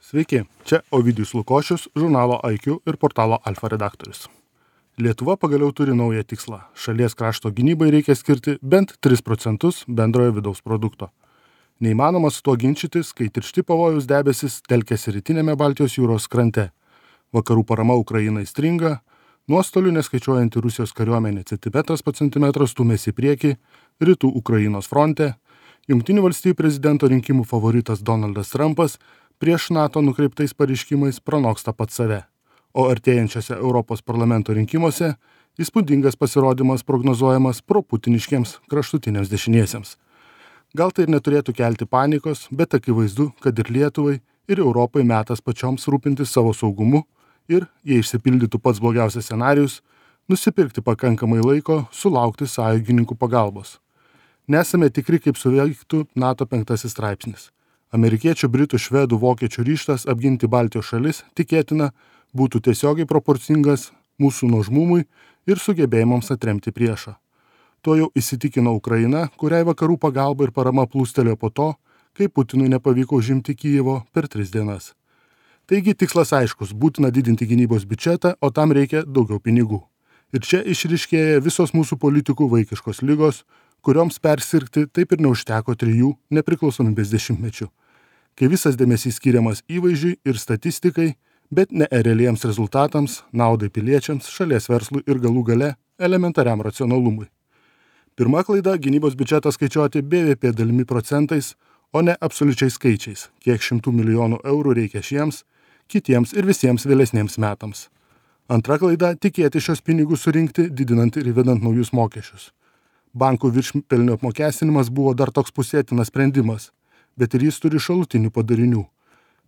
Sveiki, čia Ovidijus Lukošius, žurnalo IQ ir portalo Alfa redaktorius. Lietuva pagaliau turi naują tikslą. Šalies krašto gynybai reikia skirti bent 3% bendrojo vidaus produkto. Neįmanoma su tuo ginčytis, kai tiršti pavojaus debesis telkėsi rytinėme Baltijos jūros krante. Vakarų parama Ukrainai stringa, nuostolių neskaičiuojanti Rusijos kariuomenė centimetras po centimetro stūmėsi į priekį, rytų Ukrainos fronte, Jungtinių valstijų prezidento rinkimų favoritas Donaldas Trumpas prieš NATO nukreiptais pareiškimais pranoksta pats save, o artėjančiose Europos parlamento rinkimuose įspūdingas pasirodymas prognozuojamas proputiniškiems kraštutiniams dešiniesiems. Gal tai ir neturėtų kelti panikos, bet akivaizdu, kad ir Lietuvai, ir Europai metas pačioms rūpintis savo saugumu ir, jei išsipildytų pats blogiausias scenarijus, nusipirkti pakankamai laiko sulaukti sąjungininkų pagalbos. Nesame tikri, kaip suveiktų NATO 5 straipsnis. Amerikiečių, britų, švedų, vokiečių ryžtas apginti Baltijos šalis tikėtina būtų tiesiogiai proporcingas mūsų nuožmumui ir sugebėjimams atremti priešą. Tuo jau įsitikino Ukraina, kuriai vakarų pagalba ir parama plūstelėjo po to, kai Putinui nepavyko užimti Kijevo per 3 dienas. Taigi tikslas aiškus, būtina didinti gynybos biudžetą, o tam reikia daugiau pinigų. Ir čia išryškėja visos mūsų politikų vaikiškos ligos, kurioms persirgti taip ir neužteko 3 nepriklausomybės dešimtmečių, kai visas dėmesys skiriamas įvaizdžiui ir statistikai, bet ne realiems rezultatams, naudai piliečiams, šalies verslui ir galų gale elementariam racionalumui. Pirma klaida – gynybos biudžetą skaičiuoti BVP dalimi procentais, o ne absoliučiais skaičiais, kiek 100 milijonų eurų reikia šiems, kitiems ir visiems vėlesniems metams. Antra klaida – tikėti šios pinigus surinkti, didinant ir įvedant naujus mokesčius. Bankų viršpelnio apmokestinimas buvo dar toks pusėtinas sprendimas, bet ir jis turi šalutinių padarinių.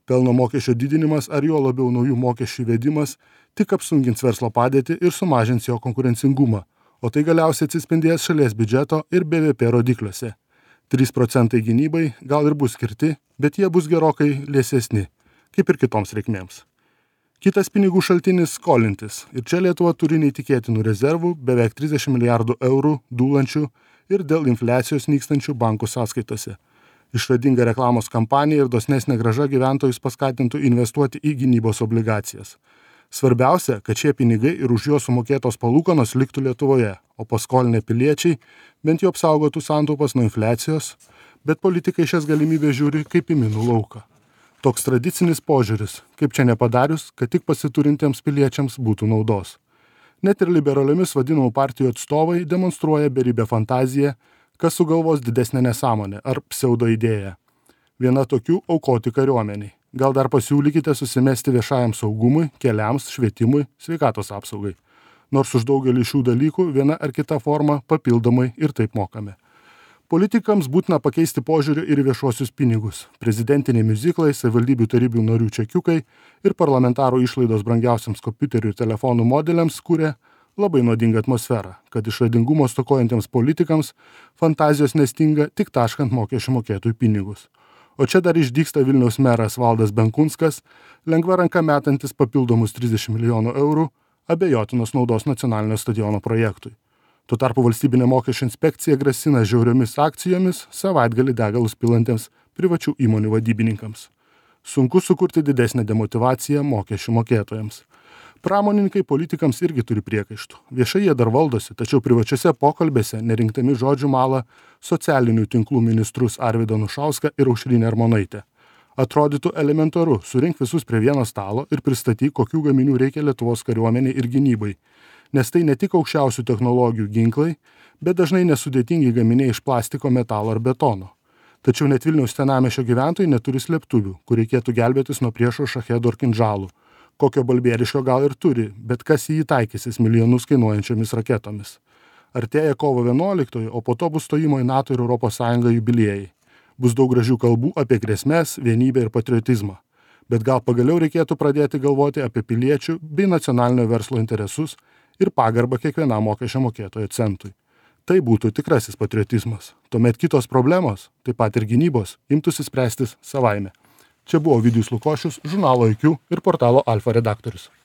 Pelno mokesčio didinimas ar jo labiau naujų mokesčių įvedimas tik apsunkins verslo padėtį ir sumažins jo konkurencingumą, o tai galiausiai atsispindės šalies biudžeto ir BVP rodikliuose. 3% gynybai gal ir bus skirti, bet jie bus gerokai liesesni, kaip ir kitoms reikmėms. Kitas pinigų šaltinis – skolintis. Ir čia Lietuva turi neįtikėtinų rezervų, beveik 30 milijardų eurų dūlančių ir dėl infliacijos nykstančių bankų sąskaitose. Išradinga reklamos kampanija ir dosnesnė grąža gyventojus paskatintų investuoti į gynybos obligacijas. Svarbiausia, kad šie pinigai ir už juos sumokėtos palūkanos liktų Lietuvoje, o paskolinę piliečiai bent jau apsaugotų santaupas nuo infliacijos, bet politikai šias galimybės žiūri kaip į minų lauką. Toks tradicinis požiūris, kaip čia nepadarius, kad tik pasiturintiems piliečiams būtų naudos. Net ir liberaliomis vadinamų partijų atstovai demonstruoja beribę fantaziją, kas sugalvos didesnę nesąmonę ar pseudoidėją. Viena tokių – aukoti kariuomeniai. Gal dar pasiūlykite susimesti viešajam saugumui, keliams, švietimui, sveikatos apsaugai. Nors už daugelį šių dalykų viena ar kita forma papildomai ir taip mokame. Politikams būtina pakeisti požiūrį ir viešuosius pinigus. Prezidentiniai miuziklai, savivaldybių tarybų narių čekiukai ir parlamentarų išlaidos brangiausiams kompiuterių ir telefonų modeliams kuria labai nuodingą atmosferą, kad išradingumo stokojantiems politikams fantazijos nestinga tik taškant mokesčių mokėtojų pinigus. O čia dar išdygsta Vilniaus meras Valdas Benkunskas, lengva ranka metantis papildomus 30 milijonų eurų abejotinos naudos nacionalinio stadiono projektui. Tuo tarpu valstybinė mokesčių inspekcija grasina žiauriomis akcijomis savaitgalį degalus pilantiems privačių įmonių vadybininkams. Sunku sukurti didesnę demotyvaciją mokesčių mokėtojams. Pramonininkai politikams irgi turi priekaištų. Viešai jie dar valdosi, tačiau privačiose pokalbėse nerinktami žodžių mala socialinių tinklų ministrus Arvydą Anušauską ir Aušrinę Armonaitę. Atrodytų elementaru, surink visus prie vieno stalo ir pristatyk, kokių gaminių reikia Lietuvos kariuomeniai ir gynybai. Nes tai ne tik aukščiausių technologijų ginklai, bet dažnai nesudėtingi gaminiai iš plastiko, metalo ar betono. Tačiau net Vilniaus senamiesčio gyventojai neturi slėptuvių, kur reikėtų gelbėtis nuo priešo šachedų ar kinžalų. Kokio balbieriško gal ir turi, bet kas į jį taikysis milijonus kainuojančiomis raketomis. Artėja kovo 11, o po to bus stojimo į NATO ir ES jubiliejai. Bus daug gražių kalbų apie grėsmes, vienybę ir patriotizmą. Bet gal pagaliau reikėtų pradėti galvoti apie piliečių bei nacionalinio verslo interesus ir pagarbą kiekvienam mokesčio mokėtojo centui. Tai būtų tikrasis patriotizmas. Tuomet kitos problemos, taip pat ir gynybos, imtųsi spręstis savaime. Čia buvo Ovidijus Lukošius, žurnalo IQ ir portalo Alfa redaktorius.